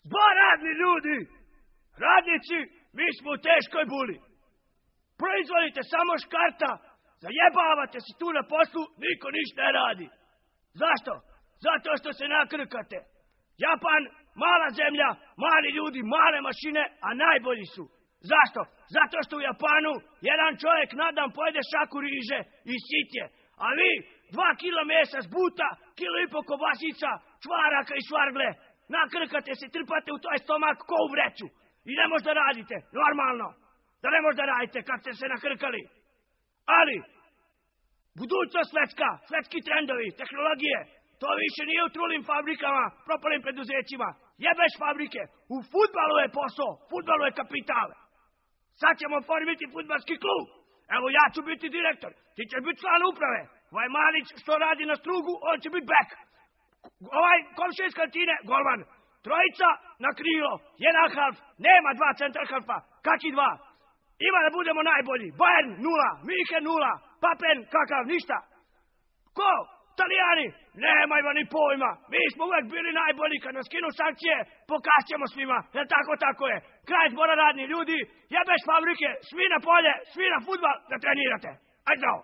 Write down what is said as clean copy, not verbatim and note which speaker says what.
Speaker 1: Zbor radni ljudi! Radnici, mi smo u teškoj buli. Proizvodite samo škarta, zajebavate se tu na poslu, niko ništa ne radi. Zašto? Zato što se nakrkate. Japan, mala zemlja, mali ljudi, male mašine, a najbolji su. Zašto? Zato što u Japanu jedan čovjek na dan pojede šaku riže i sit je. A vi 2 kila mesa zbuta, 1,5 kila kobasica, čvaraka i švargle. Nakrkate se, trpate u toj stomak ko u vreću. I ne možda radite, normalno. Da ne možda radite kad ste se nakrkali. Ali, budućnost svetski trendovi, tehnologije, to više nije u trulim fabrikama, propalim preduzećima. Jebeš fabrike, u fudbalu je posao, fudbalu je kapital. Sad ćemo formiti fudbalski klub. Evo ja ću biti direktor, ti ćeš biti član uprave. Ovaj Malić što radi na strugu, on će biti bek. Ovaj komšija iz kantine, golman. Trojica na krilo, 1 half, nema 2 centar halfa, kaki 2. Ima da budemo najbolji. Bayern 0, München 0, Papen kakav, ništa. Ko? Italijani? Nemajmo ni pojma. Mi smo uvek bili najbolji. Kad nas skinu sankcije, pokašćemo svima. Jer tako je. Kraj zbora radni ljudi, jebeš fabrike, svi na polje, svi na fudbal da trenirate. Ajde zdravo.